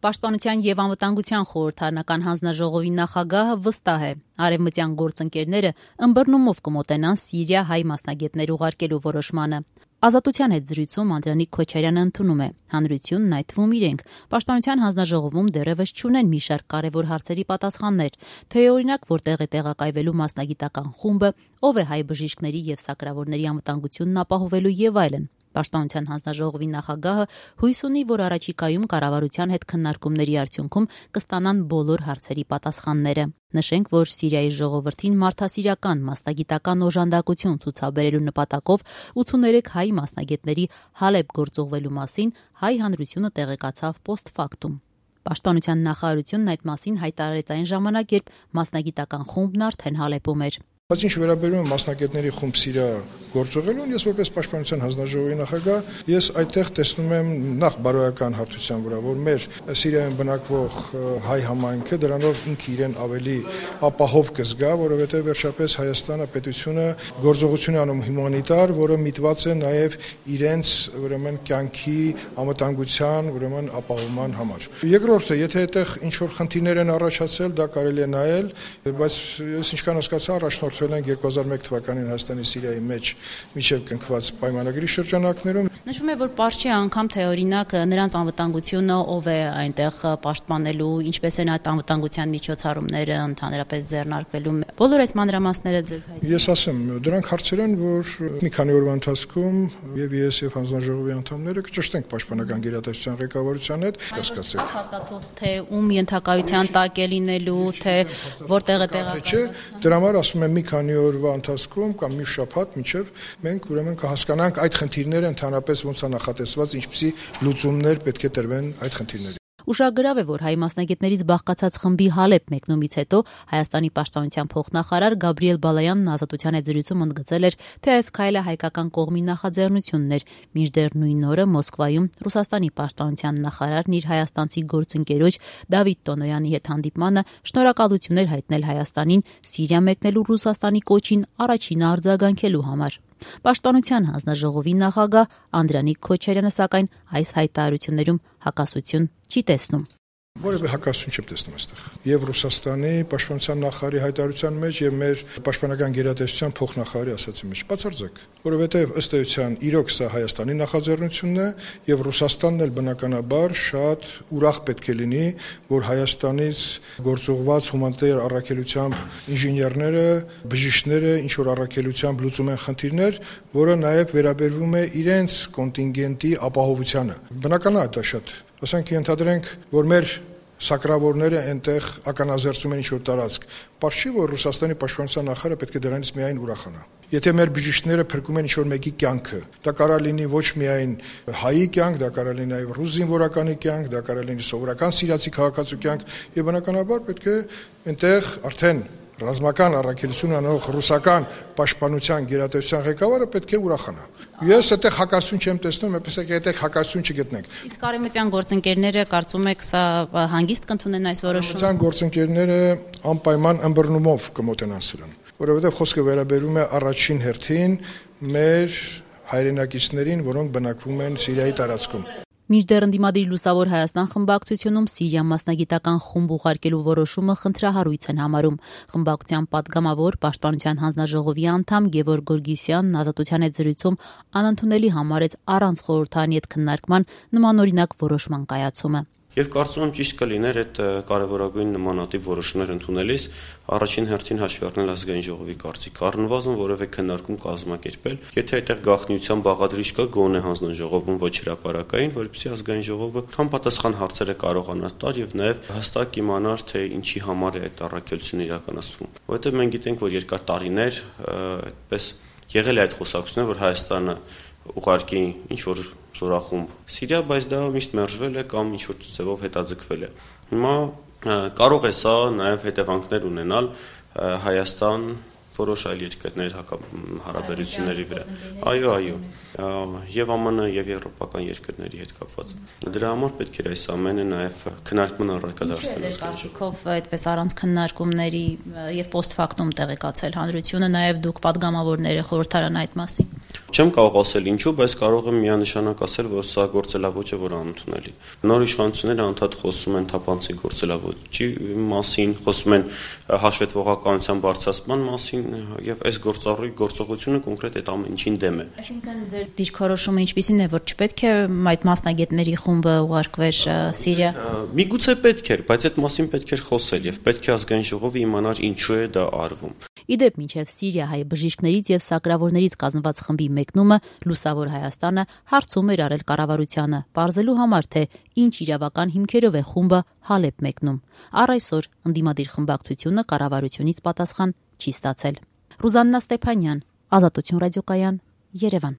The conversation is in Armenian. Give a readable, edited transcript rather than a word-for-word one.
Պաշտպանության և անվտանգության խորհրդարանական հանձնաժողովի նախագահը վստահ է, արևմտյան գործընկերները ըմբռնումով կմոտենան Սիրիա հայ մասնագետներ ուղարկելու որոշմանը։ Ազատության հետ զրույցում Անդրանիկ Քոչարյանը ընդունում է, հանրությունն, այդ թվում իրենք, Պաշտպանության հանձնաժողովում դեռևս չունեն մի շարք կարևոր հարցերի պատասխաններ, թե օրինակ որտեղ է տեղակայվելու մասնագիտական խումբը, ով է հայ բժիշկների և սակրավորների անվտանգությունն ապահովելու եւ այլն։ Պաշտպանության հանձնաժողովի նախագահը հույս ունի, որ առաջիկայում կառավարության հետ քննարկումների արդյունքում կստանան բոլոր հարցերի պատասխանները։ Նշենք, որ Սիրիայի ժողովրդին մարդասիրական մասնագիտական օժանդակություն ցուցաբերելու նպատակով 83 հայ մասնագետների Հալեբ գործուղվելու մասին հայ հանրությունը տեղեկացավ post-factum։ Պաշտպանության նախարարությունն այդ մասին հայտարարեց այն ժամանակ, երբ մասնագիտական խումբն արդեն Հալեբում էր։ Բայց ինչ վերաբերում է մասնագետների խումբ Սիրիա գործողելուն, ես որպես Պաշտպանության հանձնաժողովի նախագահ, ես այդտեղ տեսնում եմ նախ բարոյական հարթության վրա, որ մեր Սիրիայում բնակվող հայ համայնքը դրանով ինքը իրեն ավելի ապահով կզգա, որովհետև վերջապես Հայաստանը պետությունը գործողություն է անում հումանիտար, որը միտված է նաև իրենց ուրեմն կյանքի անվտանգության, ուրեմն ապահովման համար։ Երկրորդը, եթե այդտեղ ինչ որ խնդիրներ են առաջացել, դա կարելի է նայել, բայց ես ինչքան հասկացա, առաջնորդ 2001 թվականին Հայաստանի Սիրիայի մեջ միջև կնքված պայմանագրի շրջանակներում նշվում է, որ պարզ չի անգամ թե օրինակ նրանց անվտանգությունը ով է այնտեղ պաշտպանելու, ինչպես են այդ անվտանգության միջոցառումները ընդհանրապես ձեռնարկվելու։ Բոլոր այս մանրամասները ձեզ հայտնի։ Ես ասեմ, դրանք հարցեր են, որ մի քանի օրվա ընթացքում եւ ես եւ հանձնաժողովի անդամները կճշտենք պաշտպանական գերատեսչության ղեկավարության հետ, կասկածեք։ Հաստատող թե ում ենթակայության տակ է լինելու, թե որտեղ է տեղակայված։ Դրա համար ասում եմ մի քանի օրվա ընթացքում կամ մի շաբաթ մինչև մենք ուրեմն կհասկանանք այդ խնդիրները ընդհանրապես ոնց է նախատեսված, ինչպիսի լուծումներ պետք է տրվեն այդ խնդիրներին։ Ուշագրավ է, որ հայ մասնագետներից բաղկացած խմբի Հալեբ մեկնումից հետո Հայաստանի պաշտպանության փոխնախարար Գաբրիել Բալայանն Ազատության հետ զրույցում ընդգծել էր, թե այս քայլը հայկական կողմի նախաձեռնությունն էր, մինչդեռ նույն օրը Մոսկվայում Ռուսաստանի պաշտպանության նախարարն իր հայաստանցի գործընկերոջ Դավիթ Տոնոյանի հետ հանդիպմանը շնորհակալություններ հայտնել Հայաստանին Սիրիա մեկնելու Ռուսաստանի կոչին առաջինը արձագանքելու համար։ Պաշտպանության հանձնաժողովի նախագահ Անդրանիկ Քոչարյանը սակայն այս հայտարարություններում հակասություն չի տեսնում։ Որևէ հակասություն չեմ տեսնում այստեղ։ Եվ Ռուսաստանի պաշտպանության նախարարի հայտարարության մեջ եւ մեր պաշտպանական գերատեսչության փոխնախարարի ասացի մեջ բացարձակ, որովհետեւ ըստ էության իրոք սա Հայաստանի նախաձեռնությունն է եւ Ռուսաստանն էլ բնականաբար շատ ուրախ պետք է լինի, որ Հայաստանից գործողված հումանիտար առաքելությամբ ինժեներները, բժիշկները ինչ որ առաքելությամբ լուծում են խնդիրներ, որը նաեւ վերաբերվում է իրենց կոնտինգենտի ապահովությանը։ Բնական է դա շատ։ Ասենք ենթադրենք, որ մեր սակրավորները այնտեղ ականազերծում են ինչ-որ տարածք, պարզ չի, որ Ռուսաստանի պաշտպանության նախարարը պետք է դրանից միայն ուրախանա։ Եթե մեր բժիշկները փրկում են ինչ-որ մեկի կյանքը, դա կարող է լինի ոչ միայն հայի կյանք, դա կարող է լինի նաև ռուս զինվորականի կյանք, դա կարող է լինի սովորական սիրիացի քաղաքացու կյանք, եւ բնականաբար պետք է այնտեղ արդեն ռազմական առաքելություն անող ռուսական պաշտպանության գերատեսչության ղեկավարը պետք է ուրախանա։ Ես այդտեղ հակասություն չեմ տեսնում, այնպես է այդտեղ հակասություն չգտնենք։ Իսկ արևմտյան գործընկերները կարծում եք սա հանգիստ կընդունեն այս որոշումը։ Արևմտյան գործընկերները անպայման ըմբռնումով կմոտենան սրան, որովհետև խոսքը վերաբերում է առաջին հերթին մեր հայրենակիցներին, որոնք բնակվում են Սիրիայի տարածքում։ Մինչդեռ ընդդիմադիր Լուսավոր Հայաստան խմբակցությունում Սիրիա մասնագիտական խումբ ուղարկելու որոշումը խնդրահարույց են համարում։ Խմբակցության падգամավոր Պաշտպանության հանձնաժողովի անդամ Գևորգ Գորգիսյանն Ազատության հետ զրույցում անընդունելի համարեց առանց խորհրդարանի հետ քննարկման նմանօրինակ որոշման կայացումը։ Եվ կարծում եմ ճիշտ կլիներ այդ կարևորագույն նմանատիպ որոշումներ ընդունելիս առաջին հերթին հաշվի առնել ազգային ժողովի կարծիքը, առնվազն որևէ քննարկում կազմակերպել, եթե այդտեղ գաղտնիության բաղադրիչ կա գոնե հանձնաժողովում ոչ հրապարակային, որպեսզի ազգային ժողովը համապատասխան հարցերը կարողանա տալ եւ նաեւ հստակ իմանար, թե ինչի համար է այդ առաքելությունը իրականացվում։ Որովհետեւ մենք գիտենք, որ երկար տարիներ այդպես եղել է այդ խոսակցությունը, որ Հայաստանը ուղարկի ինչ որ զորախումբ Սիրիա, բայց դա միշտ մերժվել է կամ ինչ որ ձևով հետաձգվել է։ Հիմա կարող է սա նաև հետևանքներ ունենալ Հայաստան որոշ այլ երկրների հարաբերությունների վրա։ Այո, եւ ԱՄՆ եւ եվրոպական երկրների հետ կապված։ Դրա համար պետք է այս ամենը նաև քննարկման առարկա դարձնել։ Կարծիքով այդպես առանց քննարկումների եւ post factum տեղեկացել հանրությունը, նաև դուք падգամավորները խորհրդարան այդ մասին։ Չեմ կարող ասել ինչու, բայց կարող եմ միանշանակ ասել, որ սա գործելավոճ է, որ անընդունելի։ Նոր իշխանությունները անդադ խոսում են թափանցիկ գործելավոճի մասին, խոսում են հաշվետվողականության բարձրացման մասին, եւ այս գործողությունը կոնկրետ այդ ամեն ինչին դեմ է։ Այսինքն ձեր դիրքորոշումը ինչպիսին է, որ չպետք է այդ մասնագետների խումբը ուղարկվեր Սիրիա։ Միգուցե պետք էր, բայց այդ մասին պետք էր խոսել եւ պետք է ազգային ժողովը իմանար ինչու է դա արվում։ Իդեպ մինչև Սիրիա հայ բժիշկներից եւ սակրավորներից կազմված խմբի մեկնումը Լուսավոր Հայաստանը հարցում էր արել կառավարությանը, պարզելու համար, թե ինչ իրավական հիմքերով է խումբը Հալեբ մեկնում։ Առ այսօր ընդդիմադիր խմբակցությունը կառավարությունից պատասխան չի ստացել։ Ռուզաննա Ստեփանյան, Ազատություն ռադիոկայան, Երևան։